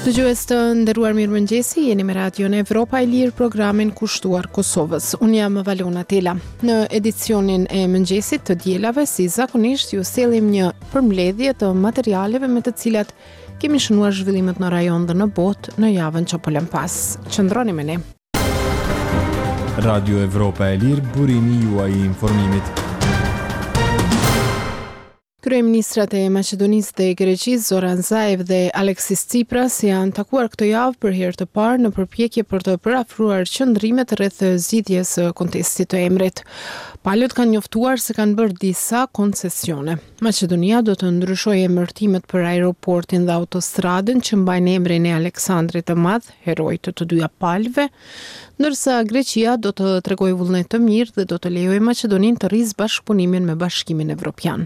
Dëgjues të nderuar mirëmëngjesi, jeni me Radion Evropa e Lirë programin kushtuar Kosovës. Unë jam Valona Tela. Në edicionin e mëngjesit të dielave, si zakonisht, ju sjellim një përmbledhje të materialeve me të cilat kemi shënuar zhvillimet në rajon dhe në botë në javën që po lëmë pas. Qëndroni me ne. Radio Evropa e Lirë, burimi juaj i informimit. Kryeministrat e Maqedonisë dhe Greqisë, Zoran Zaev dhe Aleksis Tsipras janë takuar këtë javë për herë të parë në përpjekje për të përafruar qëndrimet rreth zgjidhjes së kontestit të emrit. Palët kanë njoftuar se kanë bërë disa koncesione. Maqedonia do të ndryshojë emërtimet për aeroportin dhe autostradën që mbajnë emrin e Aleksandrit të Madh, heroit të të dyja palëve, ndërsa Greqia do të tregojë vullnet të mirë dhe do të lejojë Maqedoninë të rrisë bashkëpunimin me Bashkimin Evropian.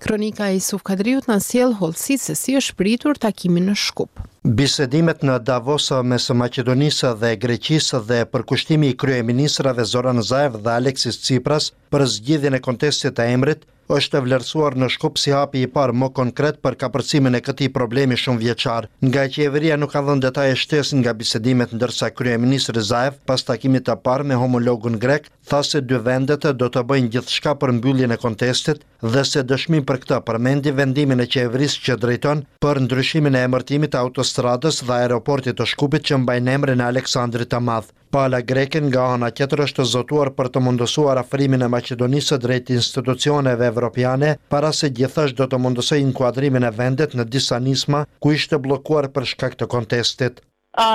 Kronika e Isuf Kadriut na sjell hollësi se si është pritur takimi në Shkup. Bisedimet në Davos mes Maqedonisë dhe Greqisë dhe përkushtimi i kryeministrave Zoran Zaev dhe Aleksis Tsipras për zgjidhjen e kontestit të emrit është vlerësuar në Shkup si hapi i parë më konkret për kapërcimin e këtij problemi shumëvjeçar. Nga qeveria nuk kanë dhënë detaje shtesë nga bisedimet ndërsa kryeministri Zaev pas takimit të parë me homologun grek tha se dy vendet do të bëjnë gjithçka për mbylljen e kontestit dhe se dëshmi për këtë përmendi vendimin e qeverisë që drejton për ndryshimin e emërtimit të autostradës dhe aeroportit të Shkupit që mbajnë emrin e Aleksandrit të Madh. Pala greke nga ana tjetër është zotuar për të mundësuar afrimin e Maqedonisë drejt institucioneve evropiane, para së gjithash do të mundësojë inkuadrimin e vendit në disa nisma ku ishte bllokuar për shkak të kontestit.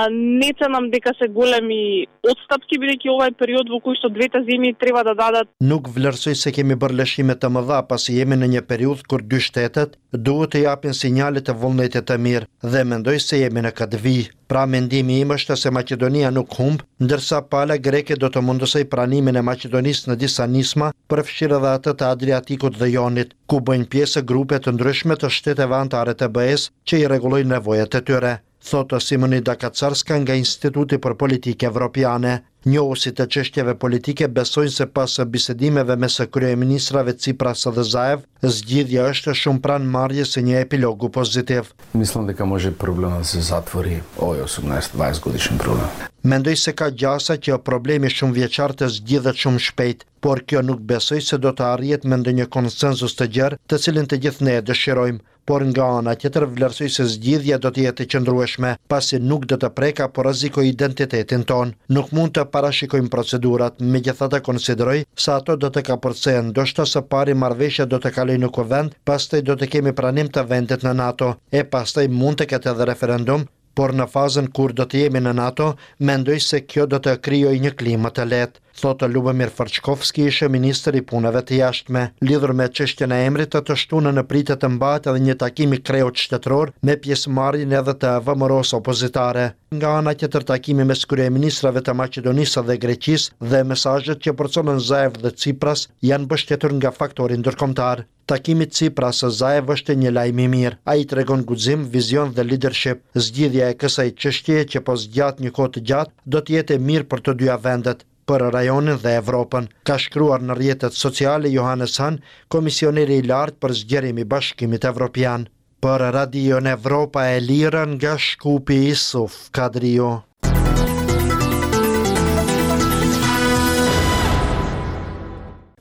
Не ценам дека се големи отстапки, бидејќи ова е период во кој што двете земји треба да дадат Nuk vlerësoj se kemi bërë lëshime të mëdha, pasi jemi në një periudhë kur dy shtetet duhet të japin sinjale të vullnetit të mirë dhe mendoj se jemi në këtë vijë. Pra mendimi im është se Maqedonia nuk humb, ndërsa pala greke do të mundësojë pranimin e Maqedonisë në disa nisma, përfshirë edhe atë të Adriatikut dhe Jonit, ku bëjnë pjesë grupe të ndryshme të shteteve anëtare të BE-së që i rregullojnë nevojat e tyre, thotë Simonida Kacarska nga Instituti për Politikë Evropiane. Njohësit e çështjeve politike besojnë se pas bisedimeve mes kryeministrave Tsipras dhe Zaev, zgjidhja është shumë pranë marrjes së një epilogu pozitiv. Мислам дека може проблемот да се затвори овој 18-20 годишен проблем. Mendoj se ka gjasa që problemi shumëvjeçar të zgjidhet shumë shpejt, por kjo nuk besoj se do të arrihet me ndonjë konsensus të gjerë, të cilin të gjithë ne e dëshirojmë. Por nga ana tjetër vlerësoj se zgjidhja do të jetë e qëndrueshme, pasi nuk do të prekë apo rrezikojë identitetin tonë. Nuk mund të parashikojmë procedurat, megjithatë konsideroj se ato do të kapërcehen, ndoshta së pari marrëveshja do të kalojë në Kuvend, pastaj do të kemi pranim të vendit në NATO, e pastaj mund të ketë edhe referendum, por në fazën kur do të jemi në NATO, mendoj se kjo do të krijojë një klimë të lehtë, thotë Lubomir Fërçkovski, ish ministër i Punëve të Jashtme. Lidhur me çështjen e emrit, të shtunën pritet të mbahet edhe një takim i kreut shtetëror me pjesëmarrjen edhe të VMRO-së opozitare. Nga ana tjetër takimi mes kryeministrave të Maqedonisë dhe Greqisë dhe mesazhet që përcollën Zaev dhe Tsipras janë mbështetur nga faktori ndërkombëtar. Takimi Tsipras Zaev është një lajm i mirë. Ai tregon guxim, vizion dhe leadership. Zgjidhja e kësaj çështjeje që po zgjat një kohë të gjatë do të jetë e mirë për të dyja vendet, për rajonin dhe Evropën, ka shkruar në rrjetet sociale Johannes Hahn, komisioneri i lartë për zgjerim i Bashkimit Evropian. Për Radion Evropa e Lirë nga Shkupi Isuf Kadriu.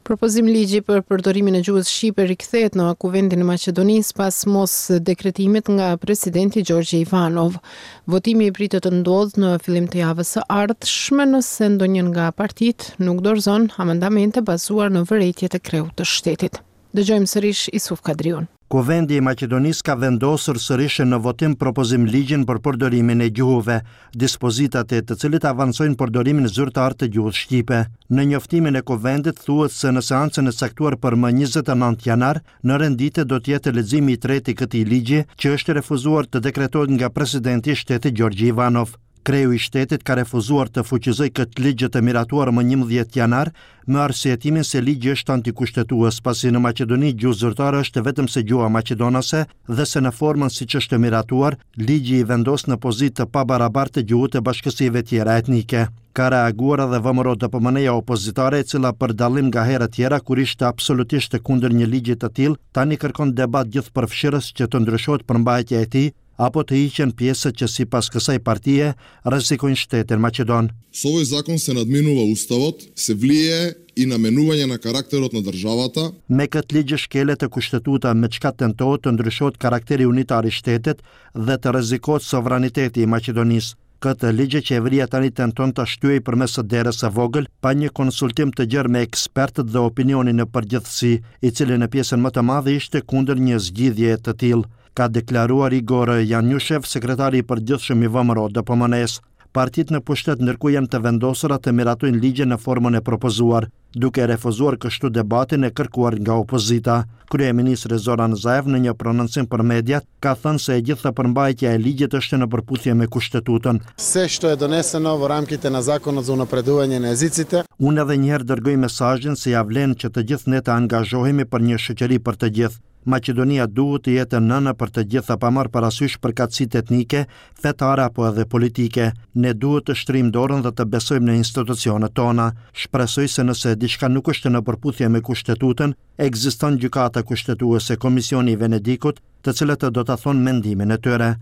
Propozim ligji për përdorimin e gjuhës shqipe rikthehet në Kuvendin e Maqedonisë pas mos dekretimit nga presidenti Gjorgje Ivanov. Votimi pritet të ndodhë në fillim të javës së ardhshme nëse ndonjë nga partitë nuk dorëzon amendamente bazuar në vërejtjet e kreut të shtetit. Dëgjojmë sërish Isuf Kadriun. Kuvendi i Maqedonisë ka vendosur sërish në votim propozim ligjin për përdorimin e gjuhëve, dispozitat e të cilit avancojnë përdorimin zyrtar të gjuhës shqipe. Në njoftimin e Kuvendit thuhet se në seancën e caktuar për më 29 janar, në rend dite do të jetë leximi i tretë i këtij ligji, që është refuzuar të dekretohet nga presidenti i shtetit Gjorgji Ivanov. Kreu i shtetit ka refuzuar të fuqizojë këtë ligj të miratuar më 11 janar, me arsyetimin se ligji është antikushtetues, pasi në Maqedoni gjuhë zyrtare është vetëm se gjuha maqedonase dhe se në formën siç është miratuar, ligji i vendos në pozitë të pabarabartë gjuhët e bashkësive tjera etnike. Ka reaguar edhe VMRO-DPMNE-ja opozitare, e cila për dallim nga herët tjera kur ishte absolutisht kundër një ligji të tillë, tani kërkon debat gjithëpërfshirës që të ndryshohet përmbajtja e tij, apo të hiqen pjesët që sipas kësaj partie rrezikojnë shtetin maqedon. Со овој закон се надминува Уставот, се влијае и на менување на карактерот на државата. Me këtë ligj shkelet kushtetuta me çka tentohet të ndryshohet karakteri unitar i shtetit dhe të rrezikohet sovraniteti i Maqedonisë. Këtë ligj qeveria tani tenton ta shtyejë përmes derës së vogël, pa një konsultim të gjerë me ekspertët dhe opinionin në përgjithësi, i cili në pjesën më të madhe ishte kundër një zgjidhjeje të tillë, ka deklaruar Igor Janjushev, sekretari i përgjithshëm i VMRO-DPMNE-së. Partitë në pushtet ndërkohë janë të vendosura të miratojnë ligjin në formën e propozuar, duke refuzuar kështu debatin e kërkuar nga opozita. Kryeministri Zoran Zaev në një prononcim për mediat ka thënë se e gjitha përmbajtja e ligjit është në përputhje me Kushtetutën. Се што е донесено во рамките на Законот за унапредување на јазиците. Unë edhe një herë dërgoj mesazhin se ia vlen që të gjithë ne të angazhohemi për një shoqëri për të gjithë. Maqedonia duhet të jetë nënë për të gjitha pa marrë parasysh përkatësitë etnike, fetare apo edhe politike. Ne duhet të shtrijmë dorën dhe të besojmë në institucionet tona. Shpresoj se nëse diçka nuk është në përputhje me Kushtetutën, ekziston Gjykata Kushtetuese, Komisioni i Venedikut, të cilët do ta thonë mendimin e tyre,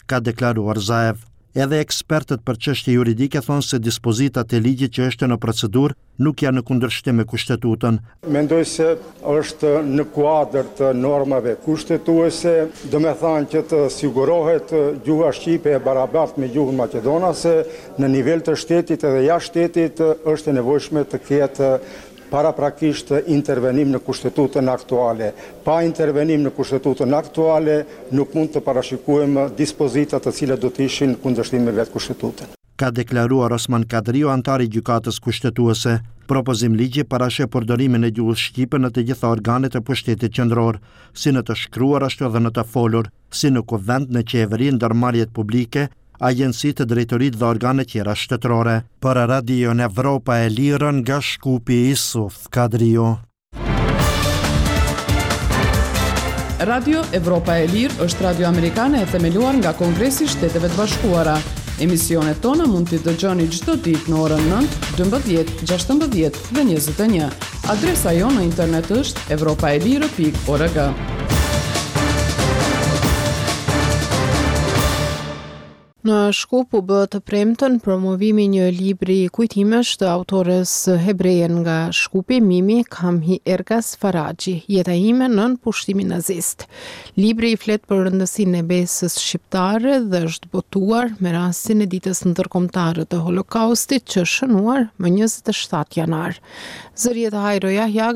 ka deklaruar Zaev. Edhe ekspertët për çështje juridike thonë se dispozitat e ligjit që është në procedurë nuk janë në kundërshtim me Kushtetutën. Mendoj se është në kuadër të normave kushtetuese, domethënë që të sigurohet gjuha shqipe e barabartë me gjuhën maqedonase, në nivel të shtetit edhe jashtë shtetit është e nevojshme të ketë paraprakisht intervenim në Kushtetutën aktuale. Pa intervenim në Kushtetutën aktuale nuk mund të parashikojmë dispozita të cilat do të ishin në kundërshtim me vetë Kushtetutën. Ka deklaruar Osman Kadriu, anëtar i Gjykatës Kushtetuese. Propozim ligji parasheh përdorimin e gjuhës shqipe në të gjitha organet e pushtetit qendror, si në të shkruar ashtu edhe në të folur, si në Kuvend, në qeveri, ndërmarrjet publike, agjencitë, drejtoritë dhe organet tjera shtetërore. Për Radion Evropa e Lirë nga Shkupi, Isuf Kadriu. Radio Evropa e Lirë është radio amerikane e themeluar nga Kongresi i Shteteve të Bashkuara. Emisionet tona mund t'i dëgjoni çdo ditë në orën 9, 12, 16 dhe 21. Adresa jonë në internet është evropaelire.org. Në Shkup u bë të premten promovimi i një libri kujtimesh të autores hebreje nga Shkupi, Mimi Kamhi Ergas Faraxhi, Jeta ime nën pushtimin nazist. Libri flet për rëndësinë e besës shqiptare dhe është botuar me rastin e Ditës Ndërkombëtare të Holokaustit që është shënuar më 27 janar. Zëri i Hajro Jahjaga.